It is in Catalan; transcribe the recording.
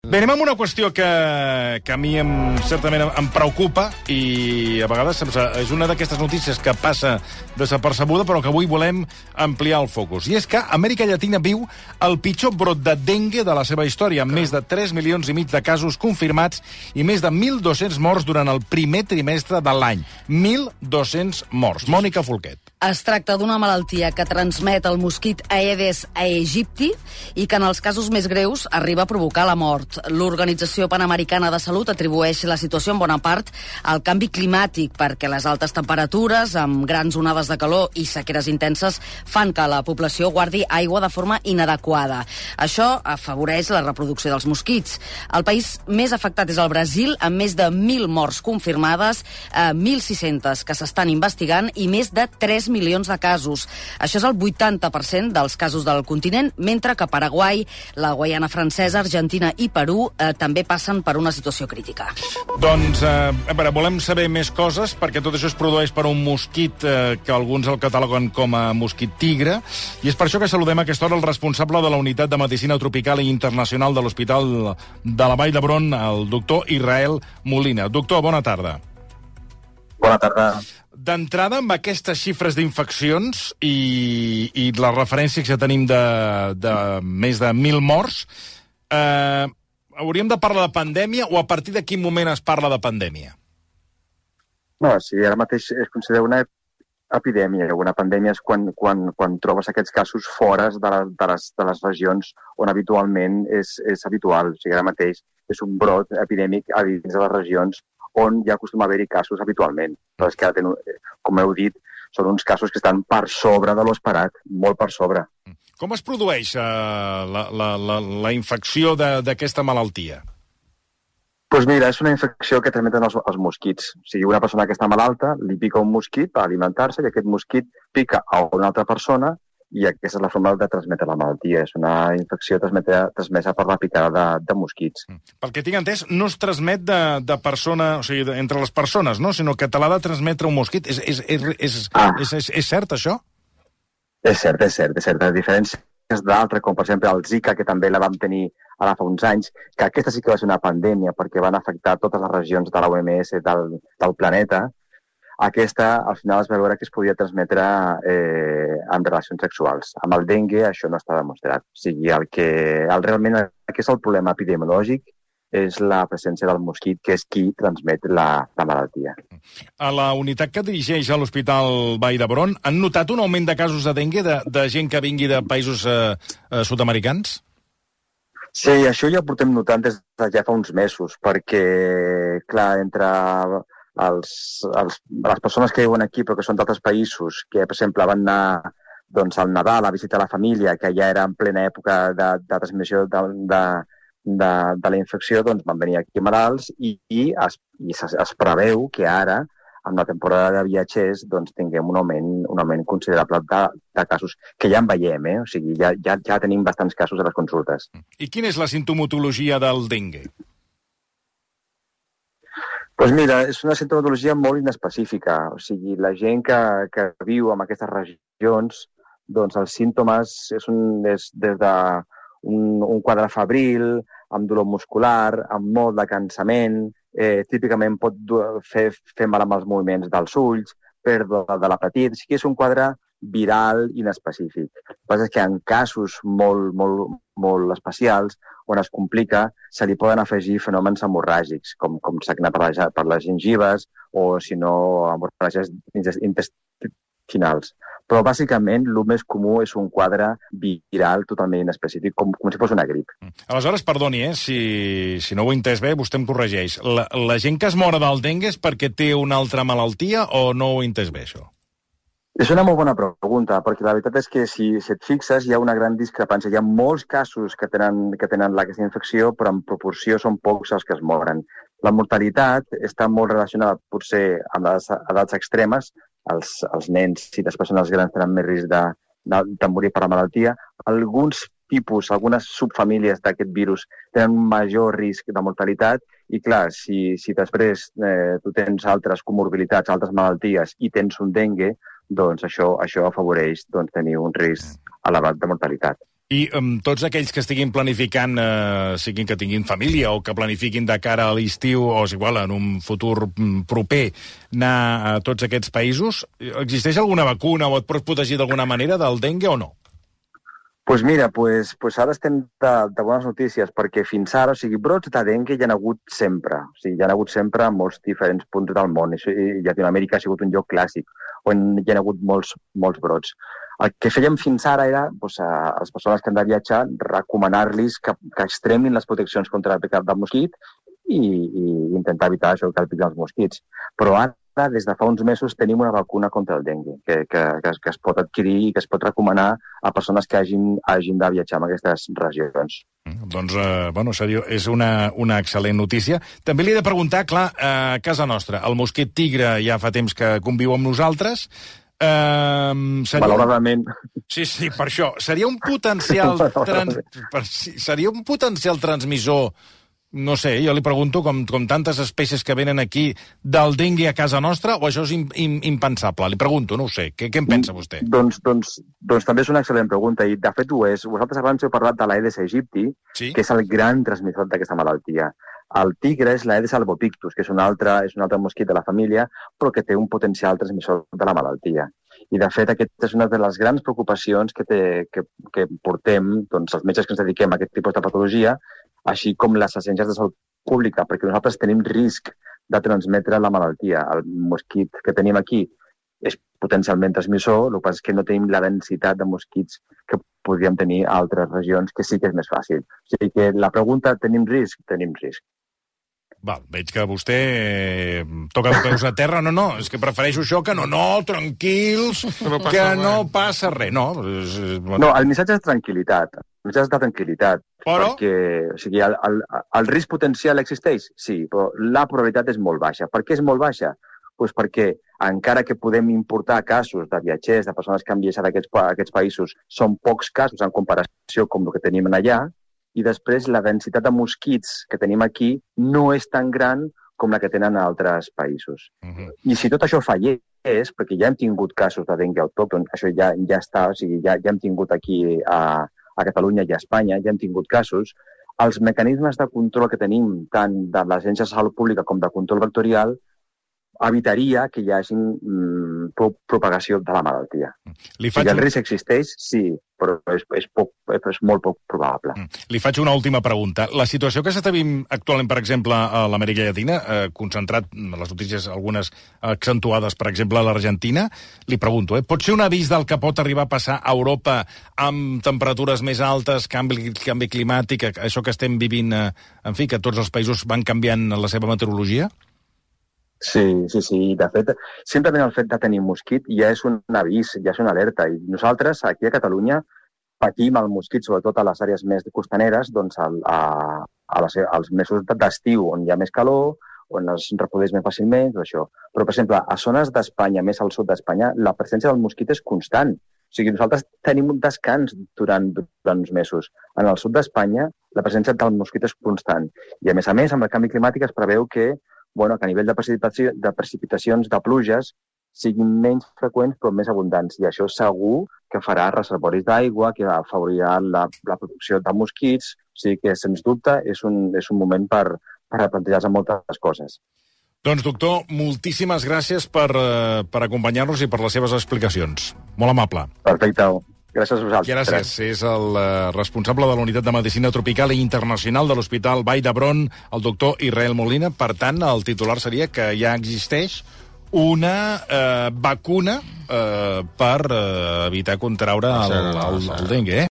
Bé, anem amb una qüestió que a mi certament em preocupa i a vegades és una d'aquestes notícies que passa desapercebuda, però que avui volem ampliar el focus. I és que Amèrica Llatina viu el pitjor brot de dengue de la seva història, amb més de 3 milions i mig de casos confirmats i més de 1.200 morts durant el primer trimestre de l'any. 1.200 morts. Mònica Folquet. Es tracta d'una malaltia que transmet el mosquit Aedes aegypti i que en els casos més greus arriba a provocar la mort. L'Organització Panamericana de Salut atribueix la situació en bona part al canvi climàtic, perquè les altes temperatures, amb grans onades de calor i sequeres intenses, fan que la població guardi aigua de forma inadequada. Això afavoreix la reproducció dels mosquits. El país més afectat és el Brasil, amb més de 1.000 morts confirmades, 1.600 que s'estan investigant i més de 3 milions de casos. Això és el 80% dels casos del continent, mentre que Paraguai, la Guaiana Francesa, Argentina i Perú també passen per una situació crítica. Doncs, a veure, volem saber més coses, perquè tot això es produeix per un mosquit que alguns el cataloguen com a mosquit tigre, i és per això que saludem a aquesta hora el responsable de la Unitat de Medicina Tropical i Internacional de l'Hospital de la Vall d'Hebron, el doctor Israel Molina. Doctor, bona tarda. Bona tarda. D'entrada, amb aquestes xifres d'infeccions i les referències que tenim de més de 1.000 morts, hauríem de parlar de pandèmia o a partir de quin moment es parla de pandèmia? No, sí, ara mateix es considera una epidèmia. Una pandèmia és quan trobes aquests casos fora de les regions on habitualment és habitual. O sigui, ara mateix és un brot epidèmic a dins de les regions on ja acostuma a haver-hi casos habitualment. Però és que, com heu dit, són uns casos que estan per sobre de l'esperat, molt per sobre. Com es produeix la infecció d'aquesta malaltia? Doncs mira, és una infecció que transmeten els mosquits. O sigui, una persona que està malalta li pica un mosquit per alimentar-se i aquest mosquit pica a una altra persona i aquesta és la forma de transmetre la malaltia. És una infecció transmesa per la picada de mosquits. Pel que tinc entès, no es transmet de persona, o sigui, entre les persones, no? Sinó que te l'ha de transmetre un mosquit. És cert, això? És cert. A diferències d'altres, com per exemple el Zika, que també la vam tenir ara fa uns anys, que aquesta sí que va ser una pandèmia perquè van afectar totes les regions de l'OMS del planeta. Aquesta, al final, es va veure que es podia transmetre en relacions sexuals. Amb el dengue això no està demostrat. O sigui, realment aquest és el problema epidemiològic, és la presència del mosquit, que és qui transmet la malaltia. A la unitat que dirigeix a l'Hospital Vall d'Hebron, han notat un augment de casos de dengue de gent que vingui de països sud-americans? Sí, això ja ho portem notant des de ja fa uns mesos, perquè, clar, entre les persones que viuen aquí però que són d'altres països, que, per exemple, van anar al Nadal a visitar la família, que ja era en plena època de transmissió de la infecció, doncs van venir aquí malalts i es preveu que ara, amb la temporada de viatgers, doncs tinguem un augment considerable de casos, que ja en veiem, O sigui, ja tenim bastants casos a les consultes. I quina és la simptomatologia del dengue? Doncs mira, és una simptomatologia molt inespecífica. O sigui, la gent que viu en aquestes regions, doncs els símptomes és des d'un quadre febril, amb dolor muscular, amb molt de cansament, típicament pot fer mal amb els moviments dels ulls, pèrdua de l'apetit. O sigui, és un quadre viral inespecífic. El que passa és que en casos molt especials, on es complica, se li poden afegir fenòmens hemorràgics, com sagnar per les gengives o, si no, hemorràgies intestinals. Però, bàsicament, el més comú és un quadre viral totalment inespecífic, com si fos una grip. Aleshores, perdoni, si no ho he entès bé, vostè em corregeix. La gent que es mor del dengue és perquè té una altra malaltia o no ho he entès bé, això? És una molt bona pregunta, perquè la veritat és que si et fixes hi ha una gran discrepància. Hi ha molts casos que tenen aquesta infecció, però en proporció són pocs els que es moren. La mortalitat està molt relacionada potser amb les edats extremes. Els nens i les persones grans tenen més risc de morir per la malaltia. Algunes subfamílies d'aquest virus tenen un major risc de mortalitat i, clar, si després tu tens altres comorbilitats, altres malalties i tens un dengue, doncs això afavoreix tenir un risc elevat de mortalitat. I tots aquells que estiguin planificant, siguin que tinguin família o que planifiquin de cara a l'estiu o és igual, en un futur proper, anar a tots aquests països, existeix alguna vacuna o et pots protegir d'alguna manera del dengue o no? Pues mira, pues ara estem de bones notícies, perquè fins ara, o sigui, brots de dengue hi ha hagut sempre. O sigui, hi ha hagut sempre a molts diferents punts del món. I Llatinoamèrica ha sigut un lloc clàssic, on hi ha hagut molts brots. El que fèiem fins ara era, doncs, a les persones que han de viatjar, recomanar-los que extremin les proteccions contra el picat del mosquit i intentar evitar això, que el piquen els mosquits. Però ara, des de fa uns mesos, tenim una vacuna contra el dengue que es pot adquirir i que es pot recomanar a persones que hagin de viatjar en aquestes regions. Doncs, és una excel·lent notícia. També li he de preguntar, clar, a casa nostra, el mosquit tigre ja fa temps que conviu amb nosaltres. Malauradament. Sí, per això. Seria un potencial transmissor, no sé, jo li pregunto, com tantes espècies que venen aquí, del dengue a casa nostra, o això és impensable? Li pregunto, no ho sé. Què en pensa vostè? Doncs també és una excel·lent pregunta, i de fet ho és. Vosaltres abans heu parlat de l'Aedes aegypti, sí? Que és el gran transmissor d'aquesta malaltia. El tigre és l'Aedes albopictus, que és un altre mosquit de la família, però que té un potencial transmissor de la malaltia. I, de fet, aquesta és una de les grans preocupacions que portem, doncs, els metges que ens dediquem a aquest tipus de patologia, així com les agències de salut pública, perquè nosaltres tenim risc de transmetre la malaltia. El mosquit que tenim aquí és potencialment transmissor, el que passa és que no tenim la densitat de mosquits que podríem tenir a altres regions, que sí que és més fàcil. O sigui que la pregunta, tenim risc? Tenim risc. Val, veig que vostè toca els peus a terra. No, és que prefereixo això que no, tranquils, que no passa res. No, el missatge és tranquil·litat. El missatge és de tranquil·litat. Però? Perquè, o sigui, el risc potencial existeix? Sí, però la probabilitat és molt baixa. Per què és molt baixa? Doncs perquè, encara que podem importar casos de viatgers, de persones que han viatjat a aquests països, són pocs casos en comparació amb el que tenim allà, i després la densitat de mosquits que tenim aquí no és tan gran com la que tenen a altres països. I si tot això fallés, perquè ja hem tingut casos de dengue autòcton, això ja està, o sigui, ja hem tingut aquí a Catalunya i a Espanya, ja hem tingut casos, els mecanismes de control que tenim, tant de l'Agència de Salut Pública com de control vectorial, evitaria que hi hagi propagació de la malaltia. Si el risc existeix, sí, però és molt poc probable. Li faig una última pregunta. La situació que s'està vivint actualment, per exemple, a l'Amèrica Llatina, concentrat les notícies, algunes accentuades, per exemple, a l'Argentina, li pregunto, pot ser un avís del que pot arribar a passar a Europa amb temperatures més altes, canvi climàtic, això que estem vivint, en fi, que tots els països van canviant la seva meteorologia? Sí. De fet, simplement el fet de tenir mosquit ja és un avís, ja és una alerta. I nosaltres, aquí a Catalunya, patim el mosquit, sobretot a les àrees més costaneres, doncs als mesos d'estiu, on hi ha més calor, on es reprodueix més fàcilment, això. Però, per exemple, a zones d'Espanya, més al sud d'Espanya, la presència del mosquit és constant. O sigui, nosaltres tenim un descans durant uns mesos. En el sud d'Espanya, la presència del mosquit és constant. I, a més, amb el canvi climàtic es preveu que a nivell de precipitacions, de pluges, siguin menys freqüents però més abundants. I això segur que farà reservoris d'aigua, que afavorirà la producció de mosquits. O sigui que, sens dubte, és un moment per replantejar-se moltes coses. Doncs, doctor, moltíssimes gràcies per acompanyar-nos i per les seves explicacions. Molt amable. Perfecte. Gràcies a vosaltres. Gràcies. És el responsable de la Unitat de Medicina Tropical i Internacional de l'Hospital Vall d'Hebron, el doctor Israel Molina. Per tant, el titular seria que ja existeix una vacuna per evitar contraure el dengue.